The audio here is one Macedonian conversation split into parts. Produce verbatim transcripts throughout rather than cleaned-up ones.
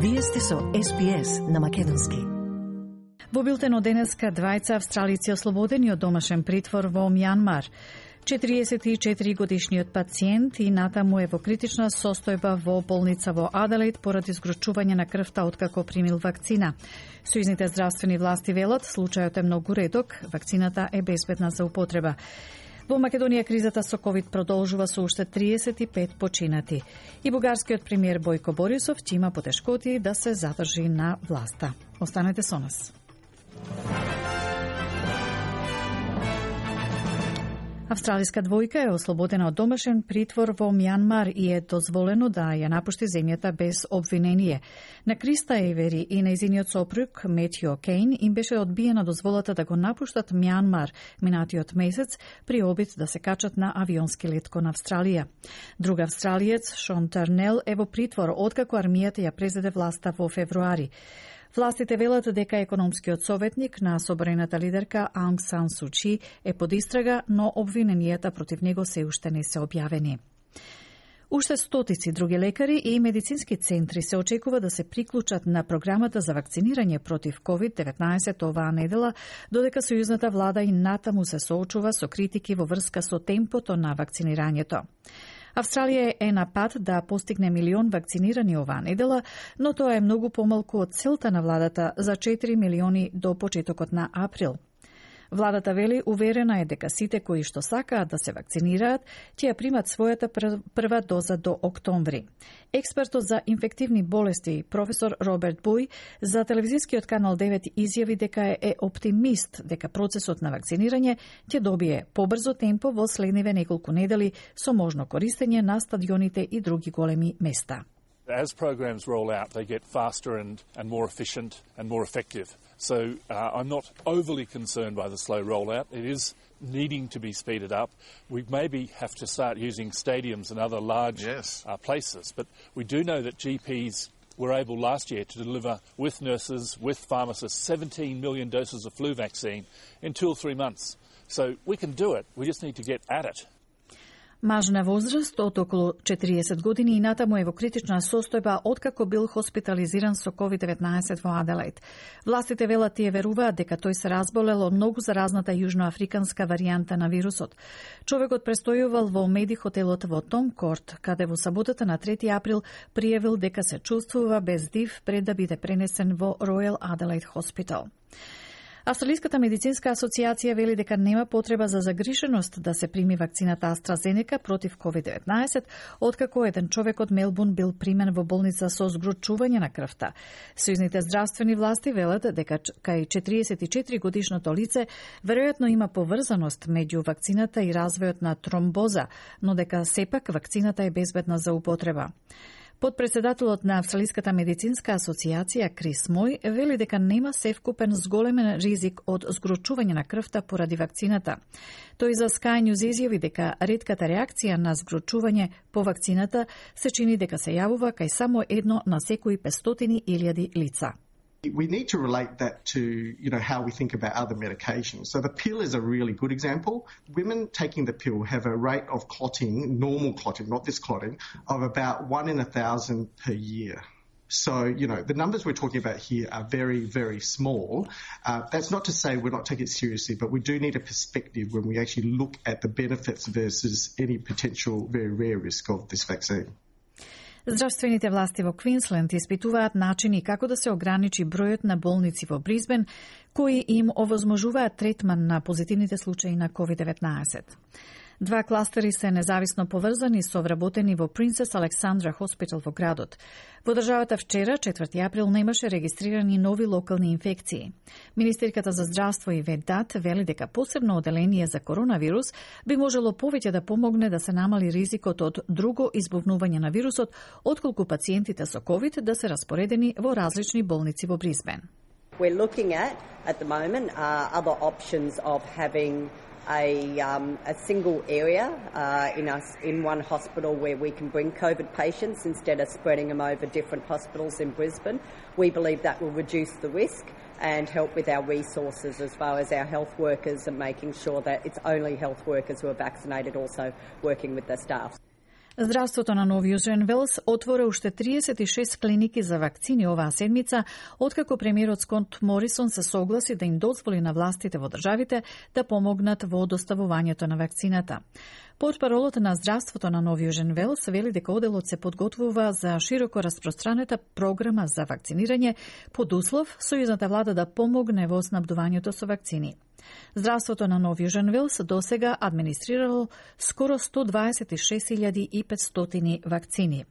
Вие сте со Ес Би Ес на македонски. Во билтено денеска двајца австралици ослободени од домашен притвор во Мјанмар. четириесет и четири годишниот пациент и натаму е во критична состојба во болница во Аделаид поради згрочување на крвта откако примил вакцина. Сојузните здравствени власти велат случајот е многу реток, вакцината е безбедна за употреба. Во Македонија кризата со ковид продолжува со уште триесет и пет починати. И бугарскиот премиер Бојко Борисов ќе има потешкоти да се задржи на власта. Останете со нас. Австралиска двојка е ослободена од домашен притвор во Мјанмар и е дозволено да ја напушти земјата без обвинение. На Криста Евери и нејзиниот сопруг Метју Кейн им беше одбиена дозволата да го напуштат Мјанмар минатиот месец при обид да се качат на авионски лет кон Австралија. Друг австралиец, Шон Тарнел, е во притвор откако армијата ја презеде власта во февруари. Властите велат дека економскиот советник на собраната лидерка Аунг Сан Су Чи е под истрага, но обвиненијата против него се уште не се објавени. Уште стотици други лекари и медицински центри се очекува да се приклучат на програмата за вакцинирање против ковид деветнаесет оваа недела, додека сојузната влада и натаму се соочува со критики во врска со темпото на вакцинирањето. Австралија е на пат да постигне милион вакцинирани оваа недела, но тоа е многу помалку од целта на владата за четири милиони до почетокот на април. Владата вели уверена е дека сите кои што сакаат да се вакцинираат ќе ја примат својата прва доза до октомври. Експертот за инфективни болести професор Роберт Буј за телевизискиот канал девет изјави дека е оптимист дека процесот на вакцинирање ќе добие побрзо темпо во следниве неколку недели со можно користење на стадионите и други големи места. As programs roll out, they get faster and, and more efficient and more effective. So uh, I'm not overly concerned by the slow rollout. It is needing to be speeded up. We maybe have to start using stadiums and other large yes. uh, places, but we do know that G Ps were able last year to deliver with nurses, with pharmacists, seventeen million doses of flu vaccine in two or three months. So we can do it. We just need to get at it. Маж на возраст од околу четириесет години и натаму е во критична состојба откако бил хоспитализиран со ковид деветнаесет во Аделаид. Властите велат тие веруваат дека тој се разболел од многу заразната јужноафриканска варијанта на вирусот. Човекот престојувал во меди хотелот во Том Корт, каде во саботата на трети април пријавил дека се чувствува без див пред да биде пренесен во Ројал Аделаид Хоспитал. Австралиската медицинска асоциација вели дека нема потреба за загриженост да се прими вакцината AstraZeneca против ковид деветнаесет, откако еден човек од Мелбурн бил примен во болница со згрочување на крвта. Сојузните здравствени власти велат дека кај четириесет и четири годишното лице веројатно има поврзаност меѓу вакцината и развојот на тромбоза, но дека сепак вакцината е безбедна за употреба. Подпредседателот на Австралиската медицинска асоциација Крис Мој вели дека нема севкупен зголемен ризик од згрочување на крвта поради вакцината. Тој за Sky News изјави дека ретката реакција на згрочување по вакцината се чини дека се јавува кај само едно на секои петстотини илјади лица. We need to relate that to, you know, how we think about other medications. So the pill is a really good example. Women taking the pill have a rate of clotting, normal clotting, not this clotting, of about one in a thousand per year. So, you know, the numbers we're talking about here are very, very small. Uh, that's not to say we're not taking it seriously, but we do need a perspective when we actually look at the benefits versus any potential very rare risk of this vaccine. Здравствените власти во Квинсленд испитуваат начини како да се ограничи бројот на болници во Бризбен кои им овозможуваат третман на позитивните случаи на ковид деветнаесет. Два кластери се независно поврзани со вработени во Принцес Александра Хоспитал во градот. Во државата вчера, четврти април, немаше регистрирани нови локални инфекции. Министерката за здравство и Ведат вели дека посебно оделение за коронавирус би можело повеќе да помогне да се намали ризикот од друго избувнување на вирусот, отколку пациентите со ковид да се распоредени во различни болници во Бризбен. We're looking at, at the moment, uh, other options of having a, um, a single area uh, in, us, in one hospital where we can bring COVID patients instead of spreading them over different hospitals in Brisbane. We believe that will reduce the risk and help with our resources as far as our health workers and making sure that it's only health workers who are vaccinated also working with their staff. Здравството на Нов Јужен Велс отвора уште триесет и шест клиники за вакцини оваа седмица, откако премиерот Скот Морисон се согласи да им дозволи на властите во државите да помогнат во доставувањето на вакцината. Портпаролот на Здравството на Нов Јужен Велс вели дека оделот се подготвува за широко распространета програма за вакцинирање под услов сојузната влада да помогне во снабдувањето со вакцини. Здравството на Нов Јужен Велс досега администрирало скоро сто дваесет и шест илјади и петстотини вакцини.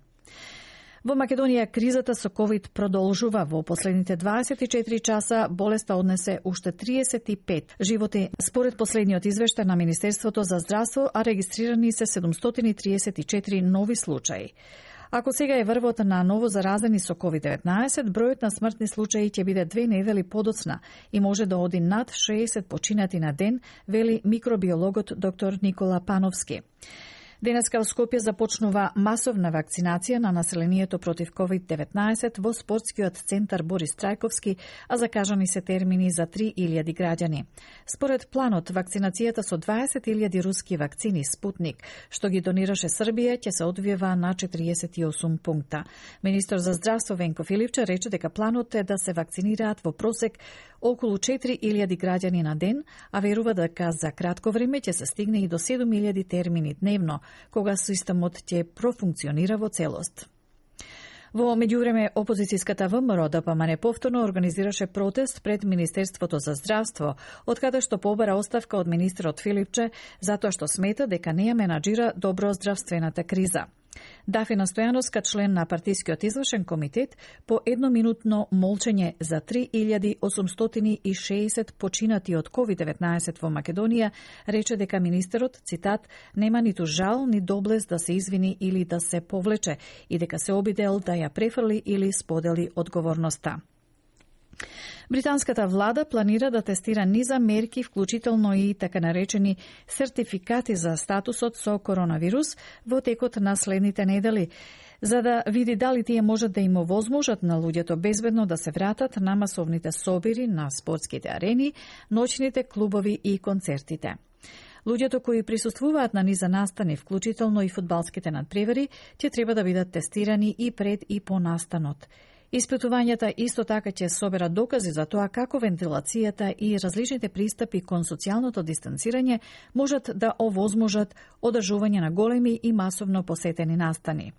Во Македонија кризата со ковид продолжува. Во последните дваесет и четири часа болеста однесе уште триесет и пет животи. Според последниот извештај на Министерството за здравство, а регистрирани се седумстотини триесет и четири нови случаи. Ако сега е врвот на ново заразени со ковид деветнаесет, бројот на смртни случаи ќе биде две недели подоцна и може да оди над шеесет починати на ден, вели микробиологот доктор Никола Пановски. Денеска во Скопје започнува масовна вакцинација на населението против ковид деветнаесет во спортскиот центар Борис Трајковски, а закажани се термини за три илјади граѓани. Според планот, вакцинацијата со дваесет илјади руски вакцини Спутник, што ги донираше Србија, ќе се одвива на четириесет и осум пункта. Министр за здравство Венко Филипче рече дека планот е да се вакцинираат во просек околу четири илјади граѓани на ден, а верува дека за кратко време ќе се стигне и до седум илјади термини дневно, кога системот ќе профункционира во целост. Во меѓувреме, опозицијската ВМРО Д П М Н повторно организираше протест пред Министерството за здравство, од каде што побара оставка од министерот Филипче, затоа што смета дека не ја менаџира добро здравствената криза. Дафина Стојановска, член на партискиот извршен комитет, по едноминутно молчење за три илјади осумстотини и шеесет починати од ковид деветнаесет во Македонија, рече дека министерот, цитат, нема ниту жал ни доблест да се извини или да се повлече и дека се обидел да ја префрли или сподели одговорноста. Британската влада планира да тестира низа мерки, вклучително и така наречени сертификати за статусот со коронавирус во текот на следните недели, за да види дали тие можат да им овозможат на луѓето безбедно да се вратат на масовните собири, на спортските арени, ноќните клубови и концертите. Луѓето кои присуствуваат на низа настани, вклучително и фудбалските надпревари, ќе треба да бидат тестирани и пред и по настанот. Испитувањата исто така ќе соберат докази за тоа како вентилацијата и различните пристапи кон социјалното дистанцирање можат да овозможат одржување на големи и масовно посетени настани.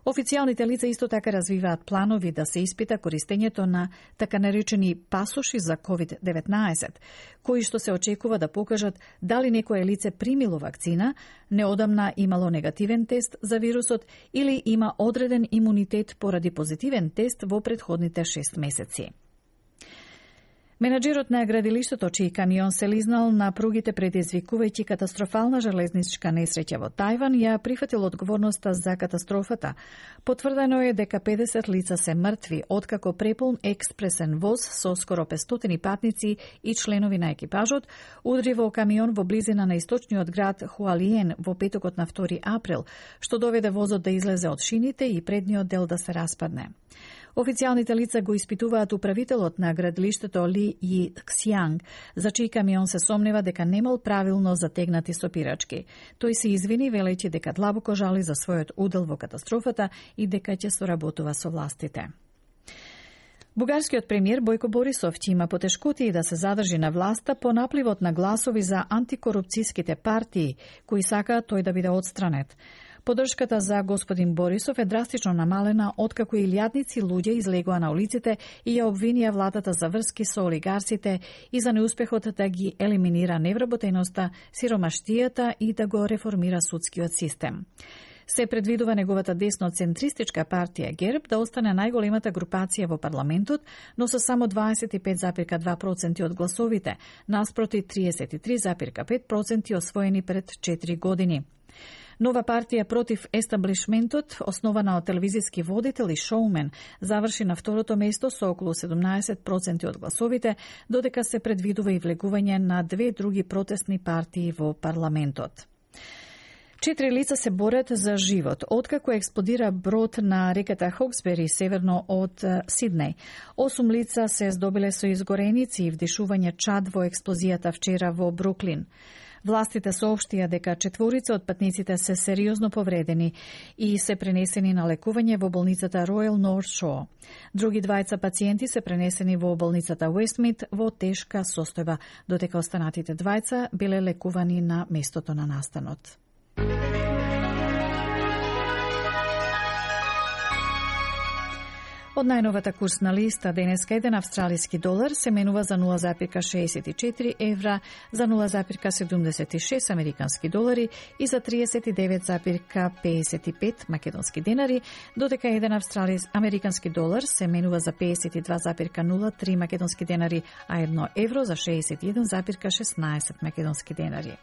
Официјалните лица исто така развиваат планови да се испита користењето на така наречени пасоши за ковид деветнаесет, кои што се очекува да покажат дали некое лице примило вакцина, неодамна имало негативен тест за вирусот или има одреден имунитет поради позитивен тест во претходните шест месеци. Менаџерот на градилиштето, чиј камион се лизнал на пругите предизвикувајќи катастрофална железничка несреќа во Тајван, ја прифатил одговорноста за катастрофата. Потврдено е дека педесет лица се мртви, откако преполн експресен воз со скоро петстотини патници и членови на екипажот удри во камион во близина на источниот град Хуалиен во петокот на втори април, што доведе возот да излезе од шините и предниот дел да се распадне. Официјалните лица го испитуваат управителот на градилиштето Ли Ји Ксјанг, за чиј камион се сомнева дека немал правилно затегнати сопирачки. Тој се извини велејќи дека длабоко жали за својот удел во катастрофата и дека ќе соработува со властите. Бугарскиот премиер Бојко Борисов ќе има потешкоти да се задржи на власта по напливот на гласови за антикорупцијските партии, кои сакаат тој да биде отстранет. Поддршката за господин Борисов е драстично намалена откако илјадници луѓе излегоа на улиците и ја обвинија владата за врски со олигарсите и за неуспехот да ги елиминира невработеноста, сиромаштијата и да го реформира судскиот систем. Се предвидува неговата десно-центристичка партија ГЕРБ да остане најголемата групација во парламентот, но со само дваесет и пет зарез и два проценти од гласовите, наспроти триесет и три зарез и пет проценти освоени пред четири години. Нова партија против естаблишментот, основана од телевизиски водител и шоумен, заврши на второто место со околу седумнаесет проценти од гласовите, додека се предвидува и влегување на две други протестни партии во парламентот. Четири лица се борат за живот, откако експлодира брод на реката Хоксбери, северно од Сиднеј. Осум лица се здобиле со изгореници и вдишување чад во експлозијата вчера во Бруклин. Властите соопштија дека четворица од патниците се сериозно повредени и се пренесени на лекување во болницата Royal North Shore. Други двајца пациенти се пренесени во болницата Westmead во тешка состојба, додека останатите двајца биле лекувани на местото на настанот. Од најновата курсна листа денеска еден австралиски долар се менува за нула зарез шеесет и четири евра, за нула зарез седумдесет и шест американски долари и за триесет и девет зарез пеесет и пет македонски денари, додека еден австралиски американски долар се менува за пеесет и два зарез нула три македонски денари, а едно евро за шеесет и еден зарез шеснаесет македонски денари.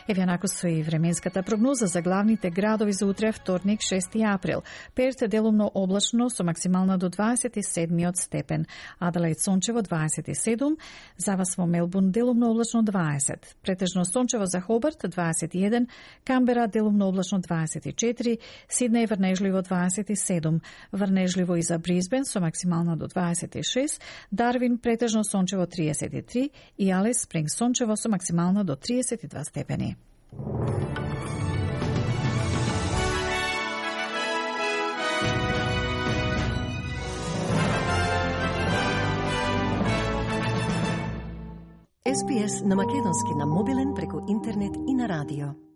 Еве онако со и временската прогноза за главните градови за утре, вторник, шести април. Перт делумно облачно со максимална до дваесет и седмиот степен. Аделаид сончево дваесет и седум, за вас во Мелбурн делумно облачно дваесет. Претежно сончево за Хобарт дваесет и еден, Камбера делумно облачно дваесет и четири, Сиднеј врнежливо дваесет и седум, врнежливо и за Брисбен со максимална до дваесет и шест, Дарвин претежно сончево триесет и три и Алис Спринг сончево со максимална до триесет и два степени. Ес Би Ес на македонски на мобилен преку интернет и на радио.